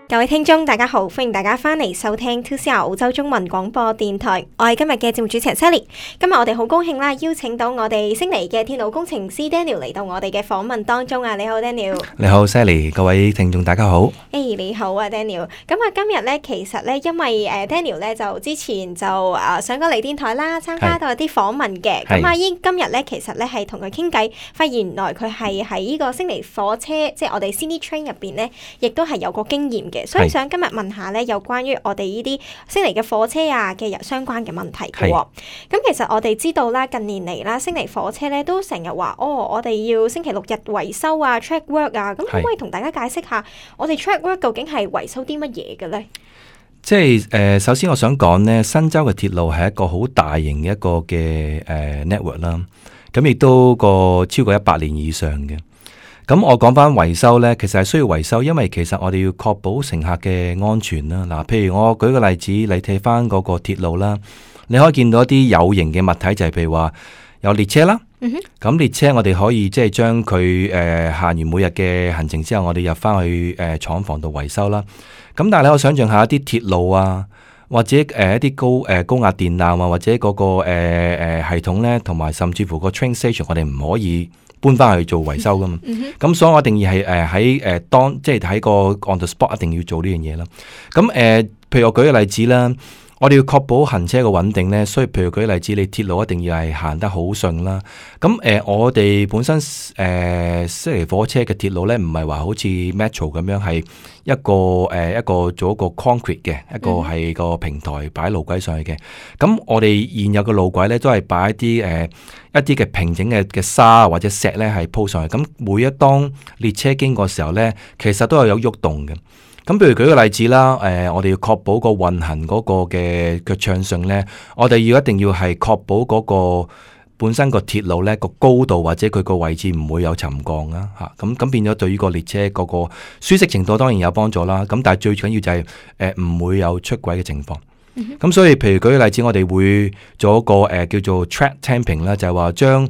各位聽眾大家好，歡迎大家翻嚟收聽 2CR 澳洲中文廣播電台，我係今日嘅節目主持人 Sally。今日我哋好高興啦，邀請到我哋悉尼嘅鐵路工程師 Daniel 嚟到我哋嘅訪問當中啊！你好 Daniel。你好 Sally， 各位聽眾大家好。你好啊 Daniel。咁啊今日咧其實咧因為Daniel 咧就之前就上過嚟電台啦，參加到一啲訪問嘅。咁今日咧其實咧係同佢傾偈，發現原來佢係喺呢個悉尼火車，即係我哋 Sydney Train 入邊咧，亦都係有個經驗嘅。所以想今日問下咧，有關於我哋呢啲悉尼嘅火車啊嘅相關嘅問題嘅。咁其實我哋知道啦，近年嚟啦，悉尼火車咧都成日話我哋要星期六日維修啊 track work 啊。咁可唔可以同大家解釋下，我哋 track work 究竟係維修啲乜嘢嘅咧？即係首先我想講呢，新州嘅鐵路係一個好大型嘅一個嘅network 啦，咁亦都個超過100年以上嘅。咁我講翻維修呢，其實係需要維修，因為其實我哋要確保乘客嘅安全啦。嗱，譬如我舉個例子，你睇翻嗰個鐵路啦，你可以見到一啲有形嘅物體，就係譬如話有列車啦。咁列車我哋可以即係將佢行完每日嘅行程之後，我哋入翻去廠房度維修啦。咁但係你可以想象下一啲鐵路啊，或者一啲高壓電纜啊，或者嗰個系統呢，同埋甚至乎個 train station，我哋唔可以搬翻去做維修噶嘛。咁所以我一定要係喺即係喺個 on the spot 一定要做呢樣嘢啦。咁譬如我舉個例子啦，我哋要確保行車嘅穩定呢，所以譬如舉個例子，你鐵路一定要係行得好順啦。咁我哋本身悉尼火車嘅鐵路呢，唔係話好似 metro 咁樣係一個做一個 concrete 嘅，一個係個平台擺路軌上去嘅。咁我哋現有嘅路軌呢，都係擺一啲嘅平整嘅沙或者石呢係鋪上去。咁每一當列車經過嘅時候呢，其實都係有喐動嘅。咁譬如舉個例子啦，我哋要確保個運行嗰個嘅暢順呢，我哋一定要係確保嗰個本身個鐵路呢個高度或者佢個位置唔會有沉降啦嚇。咁變咗對於個列車嗰個舒適程度當然有幫助啦。咁但係最緊要就係唔會有出軌嘅情況。咁所以譬如舉個例子，我哋會做一個叫做 track tamping 啦，就係話將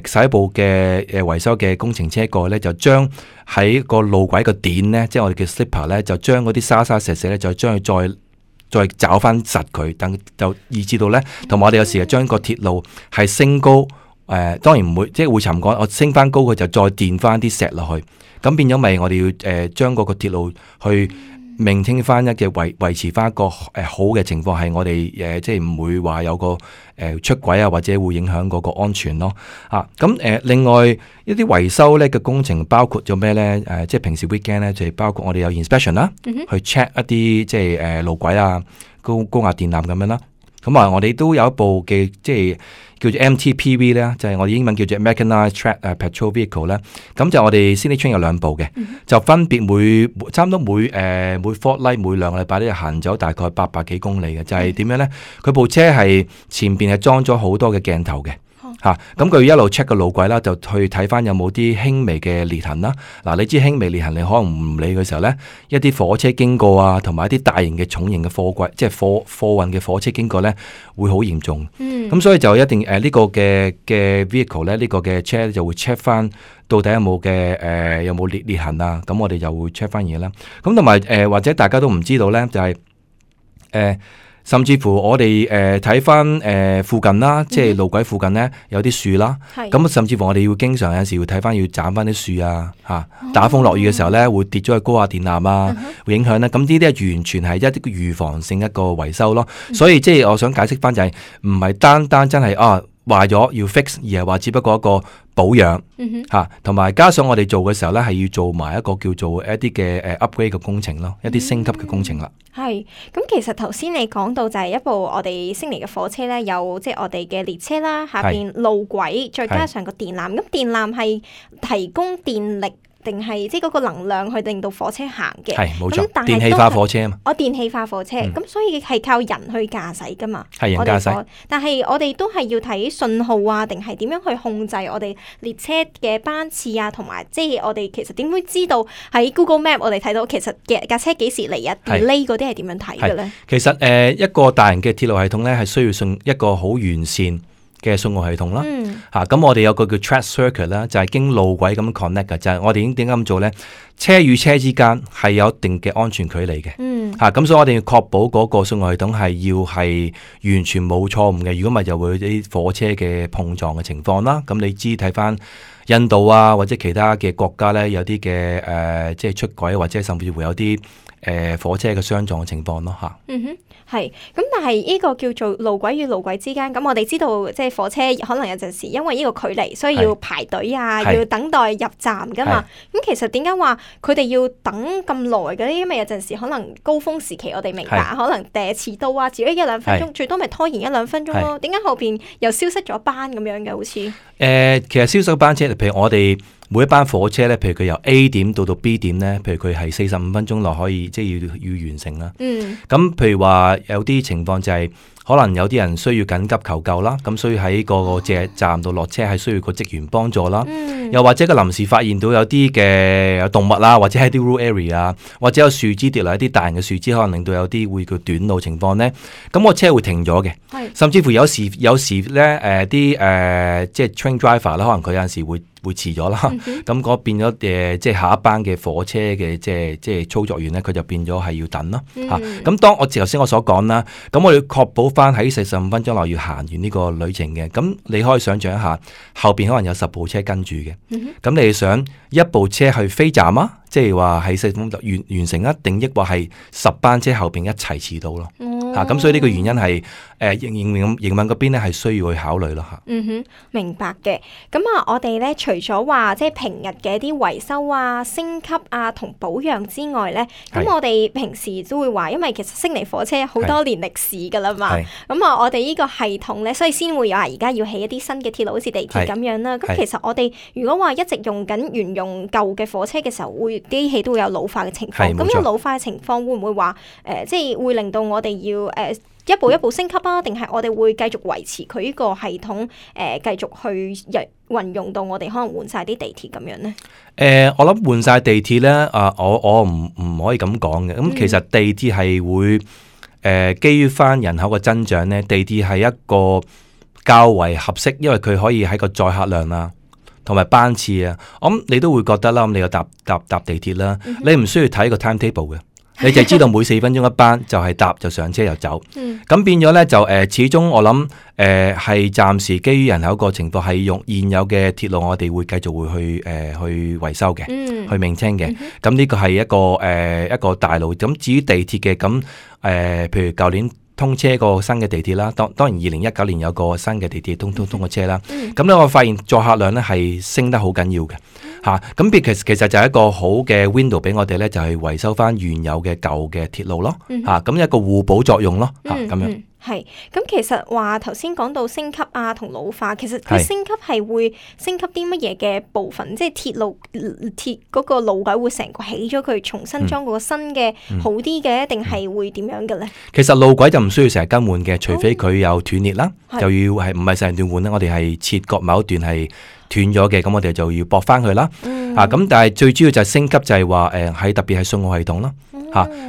洗部嘅維修嘅工程車過去咧，就將喺個路軌個點咧，即係我哋嘅 slipper 咧，就將嗰啲沙沙石石咧，就將佢再找翻實佢，等就以至到咧，同埋我哋有時係將個鐵路係升高，當然唔會即係會沉降，我升翻高佢就再墊翻啲石落去，咁變咗咪我哋要將嗰個鐵路去maintain翻一嘅維持翻一個好嘅情況，係我哋即係唔會話有個出軌啊，或者會影響嗰個安全咯。咁另外一啲維修咧嘅工程包括咗咩咧？即係平時 weekend 咧就係包括我哋有 inspection 啦，去 check 一啲即係路軌啊、高壓電纜咁樣啦。咁我哋都有一部嘅即係叫做 MTPV 咧，就係我哋英文叫做 Mechanized Track Patrol Vehicle 咧。咁就我哋 Sydney Train 有2部嘅，就分別差唔多每 fortnight 每2個禮拜咧行走大概800幾公里嘅。就係點樣咧？佢部車係前邊係裝咗好多嘅鏡頭嘅。咁佢一路 check 個路軌啦，就去睇翻有冇啲輕微嘅裂痕啦。嗱，你知輕微裂痕，你可能唔理嘅時候呢，一啲火車經過啊，同埋一啲大型嘅重型嘅貨櫃，即係貨運嘅火車經過呢，會好嚴重。咁所以就一定呢個嘅 vehicle 呢，呢個嘅車就會 check 翻到底有冇裂痕啊。咁我哋就會 check 翻嘢啦。咁同埋或者大家都唔知道呢，就係甚至乎我哋睇翻附近啦，即係路軌附近呢，有啲樹啦，咁甚至乎我哋要經常有時會睇翻要斬翻啲樹啊，打風落雨嘅時候呢，會跌咗去高壓電纜啊，會影響呢。咁呢啲係完全係一啲預防性一個維修咯。所以即係我想解釋翻就係唔係單單真係壞咗要 fix， 而係話只不過一個保養同埋加上我哋做嘅時候呢，係要做埋一個叫做一啲嘅upgrade 嘅工程咯，一啲升級嘅工程啦。係，咁其實頭先你講到就係一部我哋悉尼嘅火車呢，有即係我哋嘅列車啦，下邊路軌，再加上個電纜。咁電纜係提供電力定係即係嗰個能量去令到火車行嘅？係冇錯，電氣化火車啊嘛。電氣化火車，咁所以係靠人去駕駛噶嘛。係人駕駛，但係我哋都係要睇信號啊，定係點樣去控制我哋列車嘅班次啊，同埋即係我哋其實點會知道喺 Google Map 我哋睇到其實架車幾時嚟啊？delay 嗰啲係點樣睇嘅咧？其實一個大型嘅鐵路系統咧，係需要一個好完善嘅信號系統啦。咁我哋有個叫 track circuit 啦，就係經路軌咁 connect 嘅，就係我哋已經點解咁做咧？車與車之間係有一定嘅安全距離嘅。咁所以我哋要確保嗰個信號系統係完全冇錯誤嘅，如果唔係就會有啲火車嘅碰撞嘅情況啦。咁你知睇翻印度啊或者其他嘅國家咧，有啲嘅即係出軌或者甚至乎有啲火車嘅相撞嘅情況咯嚇。係，咁但係呢個叫做路軌與路軌之間，咁我哋知道即係火車可能有陣時因為呢個距離，所以要排隊啊，要等待入站噶嘛。咁其實點解話佢哋要等咁耐嘅咧？因為有陣時可能高峰時期，我哋明白可能遲到啊，遲咗1-2分鐘，最多咪拖延1-2分鐘咯。點解後邊又消失咗班咁樣嘅？好似其實消失班車，譬如我哋每一班火車咧，譬如佢由 A 點到 B 點咧，譬如佢係45分鐘內可以即係要完成啦。咁譬如話有啲情況就係可能有啲人需要緊急求救啦，咁所以喺個站度落車係需要個職員幫助啦。又或者個臨時發現到有啲嘅動物啦，或者喺啲 rural area， 或者有樹枝跌落一啲大型嘅樹枝，可能令到有啲會叫短路情況咧，咁個車會停咗嘅。甚至乎有時咧啲即係 train driver 啦，可能佢有陣時會遲咗啦，咁嗰變咗即係下一班嘅火車嘅即係操作員咧，佢就變咗係要等咯嚇。咁當我頭先我所講啦，咁我要確保翻喺45分鐘內要行完呢個旅程嘅。咁你可以想象一下，後邊可能有10部車跟住嘅，咁你係想一部車去飛站啊？即係話喺45分鐘完成啊，定抑或係10班車後邊一齊遲到咯？咁所以呢個原因係營運嗰邊咧係需要去考慮咯嚇。明白嘅。咁我哋咧除咗話即係平日嘅一啲維修啊、升級啊同保養之外咧，咁我哋平時都會話，因為其實悉尼火車好多年歷史噶啦嘛。咁我哋呢個系統咧，所以先會有而家要起一啲新嘅鐵路，好似地鐵咁樣啦。咁其實我哋如果話一直用緊沿用舊嘅火車嘅時候，機器都會有老化嘅情況。咁有老化嘅情況會唔會話即係會令到我哋要一步一步升級啊？定係我哋會繼續維持佢呢個系統繼續去運用到我哋可能換晒啲地鐵咁樣咧？我諗換晒地鐵咧，我唔可以咁講嘅。咁其實地鐵係會基於翻人口嘅增長咧，地鐵係一個較為合適，因為佢可以喺個載客量啊，同埋班次啊，我諗你都會覺得啦。咁你又搭地鐵啦，你唔需要睇個 timetable 嘅。你就知道每4分鐘一班，就係搭就上車就走。咁變咗咧就始終我諗係暫時基於人口個情況係用現有嘅鐵路，我哋會繼續會去維修嘅，去maintain嘅。咁呢個係一個大路。咁至於地鐵嘅咁譬如舊年通車個新嘅地鐵啦，當然2019年有個新嘅地鐵通過車啦。咁咧我發現載客量咧係升得好緊要嘅。咁其實就係一個好嘅 window 俾我哋咧，就係維修翻原有嘅舊嘅鐵路咯。咁一個互補作用咯。咁樣係。咁其實話頭先講到升級啊同老化，其實佢升級係會升級啲乜嘢嘅部分？即係鐵嗰個路軌會成個起咗佢，重新裝個新嘅好啲嘅，定係會點樣嘅咧？其實路軌就唔需要成日更換嘅，除非佢有斷裂啦，就要係唔係成段換咧？我哋係切割某一段係斷咗嘅，咁我哋就要駁翻佢啦。咁但係最主要就係升級，就係話喺特別係信號系統啦。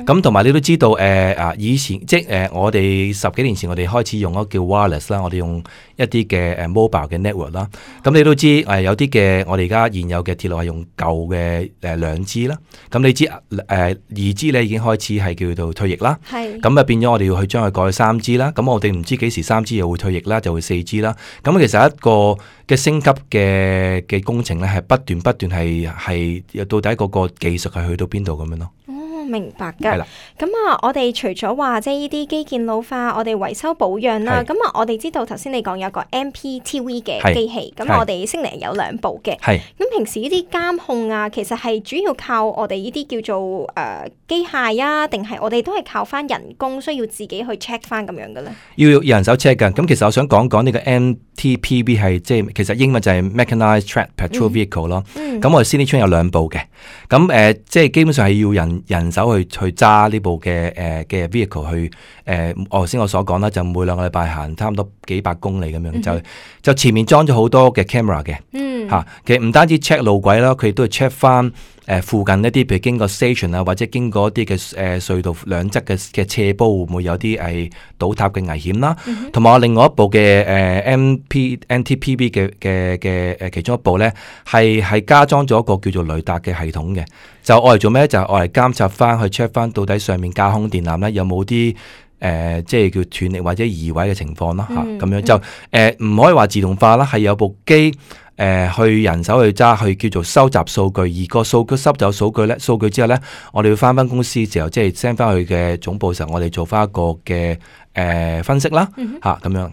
咁同埋你都知道以前即我哋10幾年前我哋開始用嗰個叫 wireless 啦，我哋用一啲嘅mobile 嘅 network 啦。咁你都知有啲嘅我哋而家現有嘅鐵路係用舊嘅2G 啦。咁你知2G 咧已經開始係叫做退役啦。咁啊變咗我哋要去將佢改去3G 啦。咁我哋唔知幾時3G 又會退役啦，就會4G 啦。咁其實一個嘅升級嘅工程咧係不斷係到底嗰個技術係去到邊度咁樣咯。明白㗎。咁我哋除咗話即係呢啲基建老化，我哋維修保養啦。咁我哋知道頭先你講有個 MPTV 嘅機器，咁我哋悉尼有2部嘅。咁平時呢啲監控啊，其實係主要靠我哋呢啲叫做機械啊，定係我哋都係靠翻人工，需要自己去 check 翻咁樣嘅咧？要人手 check 㗎。咁其實我想講呢個 MTPV 係即係其實英文就係 Mechanised Track Patrol Vehicle 咯。咁我哋 Sydney Train 有2部嘅。咁即係基本上係要人手去揸呢部嘅 vehicle 去頭先我所講啦，就每2個禮拜行差唔多幾百公里咁樣，就前面裝咗好多嘅 camera 嘅。其實唔單止 check 路軌啦，佢亦都係 check 翻附近一啲，譬如經過 station 啊，或者經過一啲嘅隧道兩側嘅斜坡，會唔會有啲係倒塌嘅危險啦？同埋我另外一部嘅NTPB 嘅其中一部咧，係加裝咗一個叫做雷達嘅系統嘅，就愛嚟做咩？就係愛嚟監察翻去 check 翻到底上面架空電纜咧有冇啲即係叫斷力或者移位嘅情況啦嚇，咁樣就唔可以話自動化啦，係有部機去人手去揸，去叫做收集數據，而個數據收走數據之後咧，我哋要翻公司嘅時候，即係 send 翻去嘅總部嘅時候，我哋做翻一個嘅分析啦嚇，咁樣。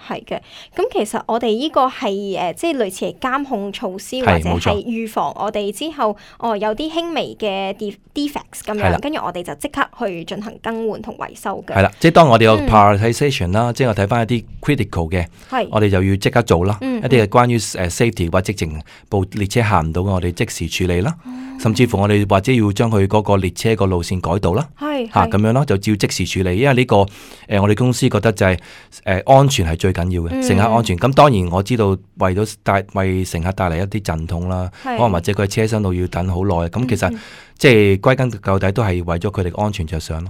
係嘅。咁其實我哋呢個係即係類似係監控措施，或者係預防我哋之後有啲輕微嘅 defects 咁樣，跟住我哋就即刻去進行更換同維修嘅。係啦，即係當我哋有 prioritization 啦，即係我睇翻一啲 critical 嘅，我哋就要即刻做啦。一啲係關於safety 或者直情部列車行唔到嘅，我哋即時處理啦。甚至乎我哋或者要將佢嗰個列車個路線改道啦，咁樣咯，就照即時處理。因為呢個我哋公司覺得就係安全係最緊要嘅，乘客安全。咁當然我知道為乘客帶嚟一啲陣痛啦，可能或者佢喺車廂度要等好耐。咁其實即係歸根究底都係為咗佢哋安全着想咯。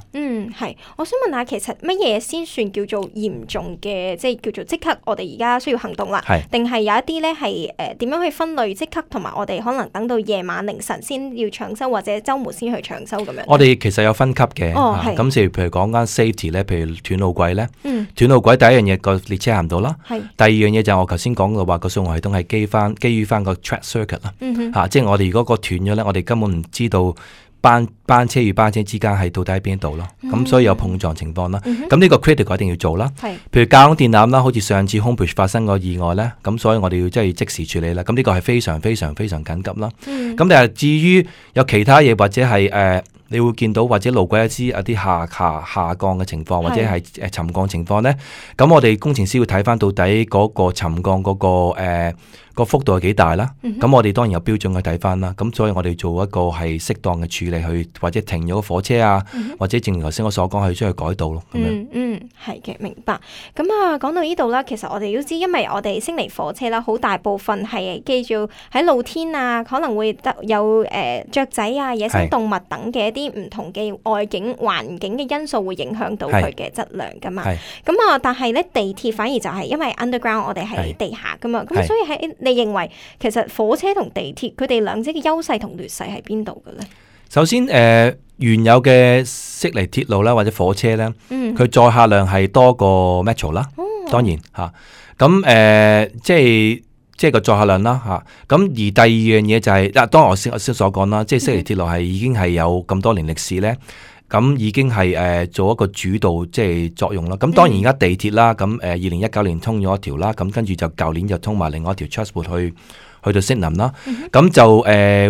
係，我想問下，其實乜嘢先算叫做嚴重嘅，即係叫做即刻我哋而家需要行動啦？定係有一啲咧係點樣去分類即刻，同埋我哋可能等到夜晚凌晨先要搶修，或者週末先去搶修咁樣？我哋其實有分級嘅，咁譬如講緊 safety 咧，譬如斷路軌咧，斷路軌第一樣嘢個列車行唔到啦，第二樣嘢就係我頭先講嘅話個送貨系統係基於翻個 track circuit 啦，即係我哋如果個斷咗咧，我哋根本唔知道班車與班車之間係到底喺邊度咯，咁所以有碰撞情況啦。咁呢個 critical 一定要做啦。譬如架空電纜啦，好似上次 Homebridge 發生個意外咧，咁所以我哋要即時處理啦。咁呢個係非常非常非常緊急啦。咁但係至於有其他嘢或者係你會見到或者路軌有啲下降嘅情況，或者係沉降情況咧，咁我哋工程師要睇翻到底嗰個沉降嗰個幅度係幾大啦。咁我哋當然有標準去睇翻啦。咁所以我哋做一個係適當嘅處理，去或者停咗個火車啊，或者正如頭先我所講，去將佢改道咯。咁樣係嘅，明白。咁講到呢度啦，其實我哋都知，因為我哋悉尼火車啦，好大部分係記住喺露天啊，可能會有雀仔啊、野生動物等嘅一啲唔同嘅外景環境嘅因素會影響到佢嘅質量噶嘛。咁但係咧地鐵反而就係因為 underground 我哋係地下噶嘛，咁所以你認為其實火車同地鐵佢哋兩者嘅優勢同劣勢喺邊度嘅咧？首先原有嘅悉尼鐵路啦，或者火車咧，佢載客量係多過 Metro 啦，當然嚇。咁即係個載客量啦嚇。咁而第二樣嘢就係當我先所講啦，即係悉尼鐵路係已經係有咁多年歷史咧，咁已經係做一個主導即係作用啦。咁當然而家地鐵啦，咁2019年通咗一條啦，咁跟住就舊年就通埋另外一條 Chatswood 去到悉尼啦，咁就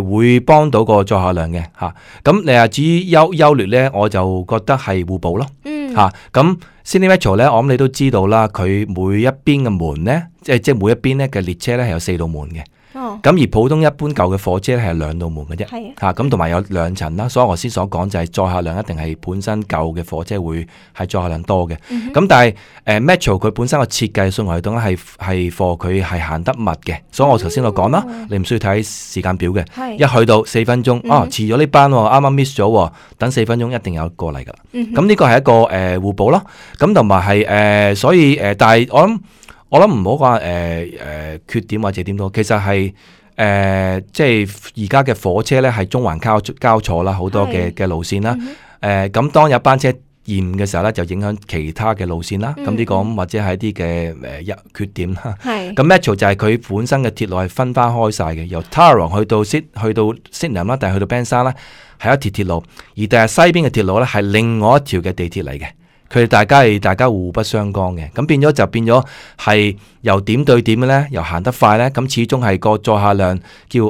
會幫到個載客量嘅嚇。咁你話至於優劣咧，我就覺得係互補咯嚇。咁 Sydney Metro 咧，我諗你都知道啦，佢每一邊嘅門咧，即係每一邊咧嘅列車咧係有4道門嘅。咁而普通一般舊嘅火車咧係2道門嘅啫，嚇咁同埋有2層啦，所以我先所講就係載客量一定係本身舊嘅火車會係載客量多嘅。咁但係Metro 佢本身個設計送貨系統咧係 for 佢係行得密嘅，所以我頭先我講啦，你唔需要睇時間表嘅，一去到4分鐘，遲咗呢班啱啱 miss 咗，等4分鐘一定有過嚟噶啦。咁呢個係一個互補咯，咁同埋係所以但係我諗唔好話缺點或者點都，其實係即係而家嘅火車咧係中環交錯啦，好多嘅路線啦。咁當有班車延誤嘅時候咧，就影響其他嘅路線啦。咁呢個或者係一啲嘅缺點啦。咁 Metro 就係佢本身嘅鐵路係分翻開晒嘅，由 Tarawong 去到 Sydenham 啦，但係去到 Bankstown 咧係一條鐵路，而第日西邊嘅鐵路咧係另外一條嘅地鐵嚟嘅。佢哋大家互不相干嘅，咁變咗係由點對點嘅咧，由行得快咧，咁始終係個載客量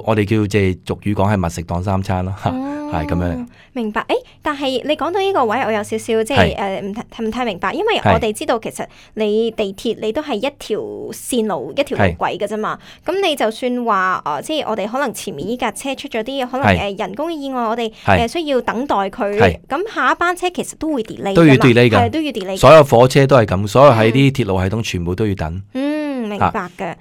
我哋叫即係俗語講係密食當三餐咯，係咁樣。明白。但係你講到呢個位，我有少少即係唔太明白，因為我哋知道其實你地鐵你都係一條線路一條路軌嘅啫嘛。咁你就算話即係我哋可能前面呢架車出咗啲可能人工嘅意外，我哋需要等待佢。咁下一班車其實都會 delay 㗎嘛，都要 delay 㗎。所有火車都係咁，所有喺啲鐵路系統全部都要等。明白嘅。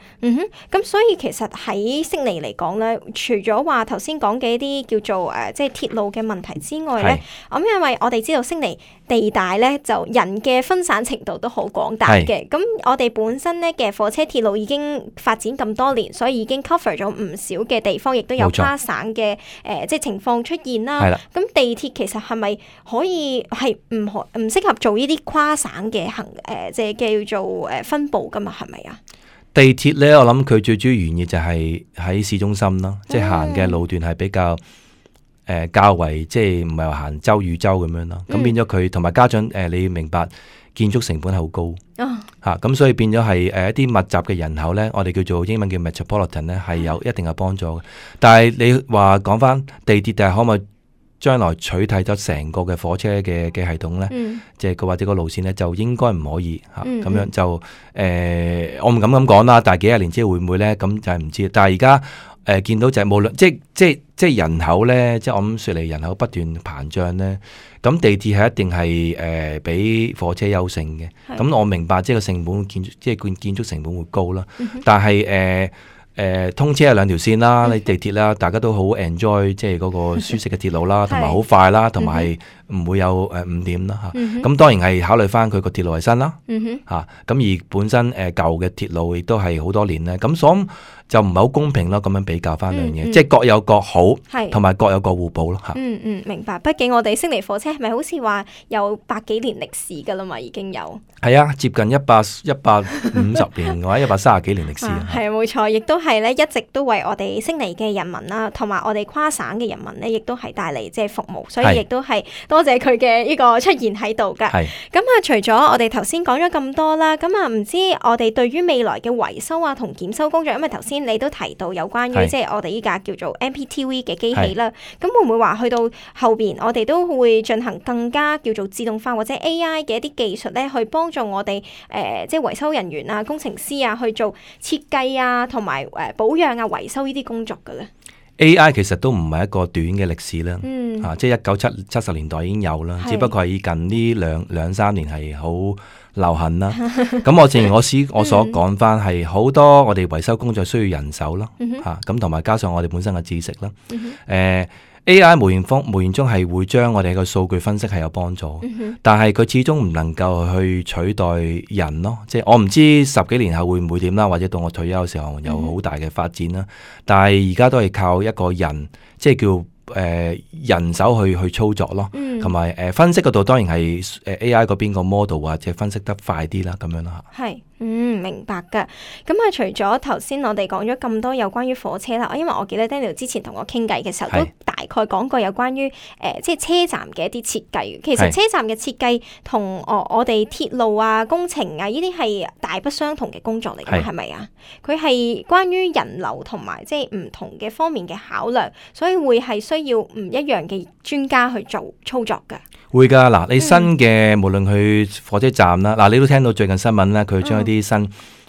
咁所以其實喺悉尼嚟講咧，除咗話頭先講嘅一啲叫做即係鐵路嘅問題之外咧，咁因為我哋知道悉尼地大咧，就人嘅分散程度都好廣大嘅。咁我哋本身咧嘅火車鐵路已經發展咁多年，所以已經 cover 咗唔少嘅地方，亦都有跨省嘅即係情況出現啦。咁地鐵其實係咪可以係唔適合做呢啲跨省嘅即係叫做分佈噶嘛？係咪啊？地鐵咧，我諗佢最主要原意就係喺市中心啦，即係行嘅路段係比較較為即係唔係話行州與州咁樣咯。咁變咗佢同埋加上你要明白建築成本係好高咁所以變咗係一啲密集嘅人口咧，我哋叫做英文叫 metropolitan 咧，係有一定嘅幫助嘅。但係你話講翻地鐵，但係可唔可以將來取替咗成個嘅火車嘅系統咧，即係或者個路線咧，就應該唔可以咁樣就我唔敢咁講啦。但係幾廿年之後會唔會咧？咁就係唔知。但係而家見到就係無論即係人口咧，即係我諗雪梨人口不斷膨脹咧，咁地鐵係一定係比火車優勝嘅。咁我明白即係個成本建築成本會高啦，但係通車係兩條線啦，你地鐵啦，大家都好 enjoy 即係嗰個舒適嘅鐵路啦，同埋好快啦，同埋唔會有誤點啦嚇。咁當然係考慮翻佢個鐵路係新啦嚇，咁而本身舊嘅鐵路亦都係好多年咧，咁所以就唔係好公平咯。咁樣比較翻兩樣嘢，即係各有各好，同埋各有各互補咯嚇。明白。畢竟我哋悉尼火車係咪好似話有100幾年歷史㗎啦嘛？已經有係啊，接近150年或者130幾年歷史啊。係冇錯，亦都係咧一直都為我哋悉尼嘅人民啦，同埋我哋跨省嘅人民咧，亦都係帶嚟即係服務，所以亦都係多謝佢嘅呢個出現喺度㗎。咁除咗我哋頭先講咗咁多啦，咁唔知我哋對於未來嘅維修啊同檢修工作，因為頭先你都提到有關於即係我哋依架叫做 MPTV 嘅機器啦，咁會唔會話去到後邊我哋都會進行更加叫做自動化或者 AI 嘅一啲技術咧，去幫助我哋即係維修人員啊、工程師啊去做設計啊，同埋保養啊、維修呢啲工作嘅咧。AI 其實都唔係一個短嘅歷史啦，即係1970年代已經有啦，只不過係近呢兩三年係好流行啦。咁我正如我所講翻，係好多我哋維修工作需要人手啦，咁同埋加上我哋本身嘅知識啦。AI 無形中係會將我哋嘅數據分析係有幫助，但係佢始終唔能夠去取代人咯。即係我唔知10幾年後會唔會點啦，或者到我退休嘅時候有好大嘅發展啦。但係而家都係靠一個人，即係叫人手去操作咯，同埋分析嗰度當然係AI 嗰邊個 model 或者分析得快啲啦，咁樣啦。係，明白噶。咁除咗頭先我哋講咗咁多有關於火車啦，因為我記得 Daniel 之前同我傾偈嘅時候都大概講過有關於即係車站嘅一啲設計。其實車站嘅設計同我哋鐵路啊、工程啊呢啲係大不相同嘅工作嚟㗎，係咪啊？佢係關於人流同埋即係唔同嘅方面嘅考量，所以會係需要唔一樣嘅專家去做操作㗎。會㗎，嗱，你新嘅無論去火車站啦，嗱，你都聽到最近新聞啦，佢將一啲新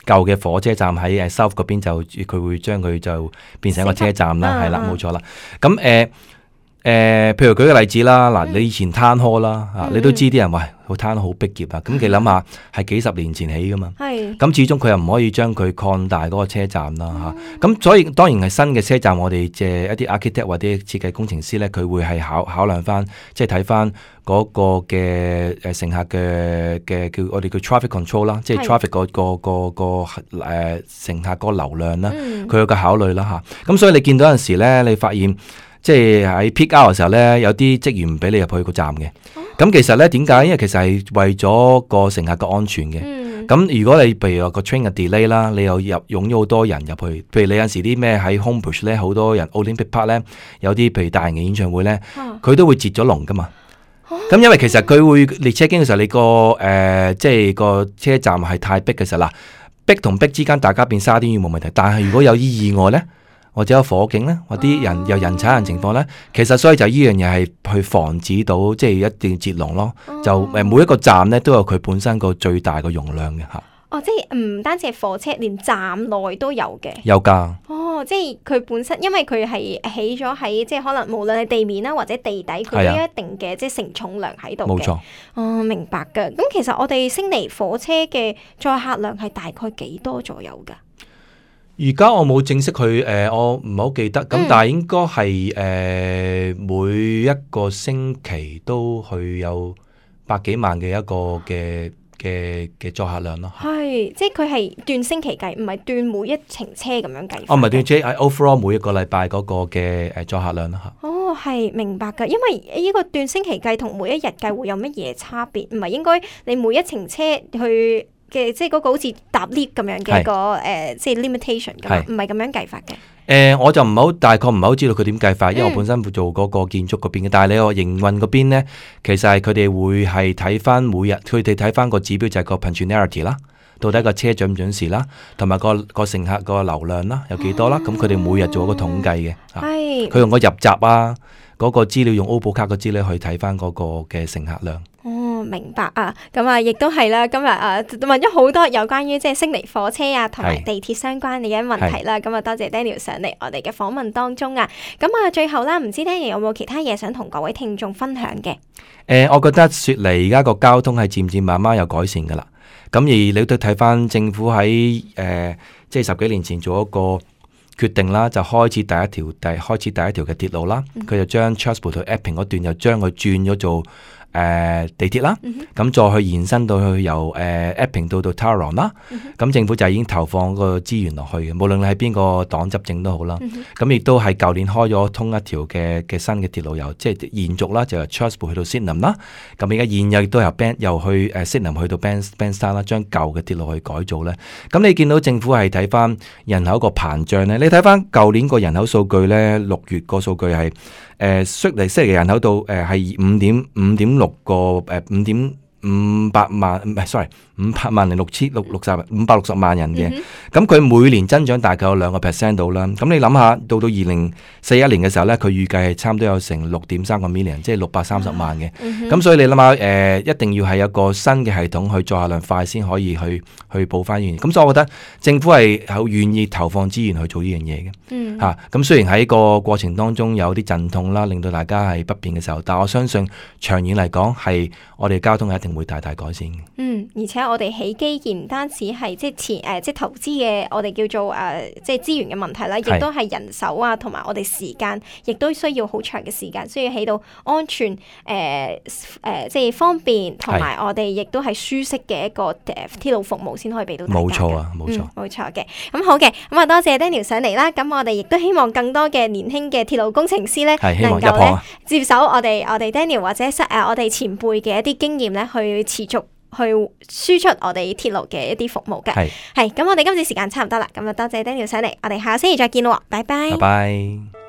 舊嘅火車站喺South 嗰邊就佢會將佢就變成一個車站啦，係啦，冇錯啦。咁譬如舉個例子啦，嗱，你以前攤開啦，你都知啲人話個攤好逼傑啊，咁你諗下係幾十年前起噶嘛，咁始終佢又唔可以將佢擴大嗰個車站啦嚇，咁所以當然係新嘅車站，我哋借一啲 architect 或者設計工程師咧，佢會係考量翻，即係睇翻嗰個嘅乘客嘅叫我哋叫 traffic control 啦，即係 traffic 個乘客個流量啦，佢有個考慮啦嚇，咁所以你見到有陣時咧，你發現即係喺 peak hour 嘅時候咧，有啲職員唔俾你入去個站嘅。咁其實咧點解？因為其實係為咗個乘客嘅安全嘅。咁如果你譬如話個 train 嘅 delay 啦，你又湧咗好多人入去，譬如你有陣時啲咩喺 Homebush 咧，好多人 Olympic Park 咧，有啲譬如大型嘅演唱會咧，佢都會截咗龍噶嘛。咁因為其實佢會列車經嘅時候，你即係個車站係太逼嘅時候啦，逼同逼之間大家變沙甸魚冇問題，但係如果有啲意外咧，或者有火警咧，或啲人有人踩人情況咧，其實所以就呢樣嘢係去防止到即係一定截龍咯。就每一個站咧都有佢本身個最大個容量嘅嚇。哦，即係唔單止係火車，連站內都有嘅。有㗎。哦，即係佢本身，因為佢係起咗喺即係可能無論係地面啦或者地底，佢都有一定嘅即係承重量喺度嘅。冇錯。哦，明白㗎。咁其實我哋悉尼火車嘅載客量係大概幾多左右㗎？而家我冇正式去我唔係好記得。咁但係應該係每一個星期都去有百幾萬嘅一個嘅載客量咯。係，即係佢係斷星期計，唔係斷每一程車咁樣計。唔係斷 J， 係 overall 每一個禮拜嗰個嘅載客量咯嚇。哦，係明白㗎，因為呢個斷星期計同每一日計會有乜嘢差別？唔係應該你每一程車去嘅，即係嗰個好似搭 lift 咁樣嘅一個即係 limitation 㗎嘛，唔係咁樣計法嘅。我就唔係好大概唔係好知道佢點計法，因為我本身做嗰個建築嗰邊嘅。但係你話營運嗰邊咧，其實係佢哋會係睇翻每日，佢哋睇翻個指標就係個 punctuality 啦，到底個車準唔準時啦，同埋個乘客個流量啦有幾多啦。咁佢哋每日做一個統計嘅。係。佢用個入閘啊，嗰個資料用 OPPO 卡個資料去睇翻嗰個嘅乘客量。哦，明白啊！咁啊，亦都係啦。今日問咗好多有關於即係悉尼火車啊，同埋地鐵相關嘅問題啦。咁啊，多謝 Daniel 上嚟我哋嘅訪問當中啊。咁啊，最後啦，唔知 Daniel 有冇其他嘢想同各位聽眾分享嘅？我覺得雪梨而家個交通係漸漸慢慢有改善噶啦。咁而你都睇翻政府喺即係10幾年前做一個決定啦，就開始第一條嘅鐵路啦。佢就將 Chatswood 到 Epping 嗰段又將佢轉咗做地鐵啦，咁再去延伸到去由Epping 到 Tauranga 啦，咁政府就已經投放個資源落去嘅，無論你係邊個黨執政都好啦。咁亦都係舊年開咗通一條嘅新嘅鐵路，由即係延續啦，就由 Chatswood 去到 Sydenham 啦。咁而家現有亦都由去Sydenham 去到 Bankstown 啦，將舊嘅鐵路去改造咧。咁你見到政府係睇翻人口個膨脹咧，你睇翻舊年個人口數據咧，6月個數據係悉尼人口度係5.6個5.500萬，唔係 sorry 500萬零560萬人嘅。咁佢每年增長大概有2% 到啦。咁你諗下，到2041年嘅時候咧，佢預計係差唔多有成6.3個 million， 即係630萬嘅。咁所以你諗下，一定要係有個新嘅系統去載客量快先可以去補翻呢樣嘢。咁所以我覺得政府係好願意投放資源去做呢樣嘢嘅。咁雖然喺個過程當中有啲陣痛啦，令到大家係不便嘅時候，但我相信長遠嚟講係我哋交通一定會大大改善嘅。而且我哋起基建唔單止係即係投資嘅，我哋叫做即係資源嘅問題啦，亦都係人手啊，同埋我哋時間，亦都需要好長嘅時間，需要起到安全即係方便，同埋我哋亦都係舒適嘅一個鐵路服務先可以俾到大家嘅。冇錯啊，冇錯，冇錯嘅。咁好嘅，咁啊多謝 Daniel 上嚟啦。咁我哋亦都希望更多嘅年輕嘅鐵路工程師咧，能夠咧接手我哋 Daniel 或者我哋前輩嘅一啲經驗咧，去持續去輸出我哋鐵路嘅一啲服務嘅。係咁，我哋今次時間差唔多啦。咁啊，多謝 Daniel 上嚟，我哋下個星期再見咯。拜拜。拜拜。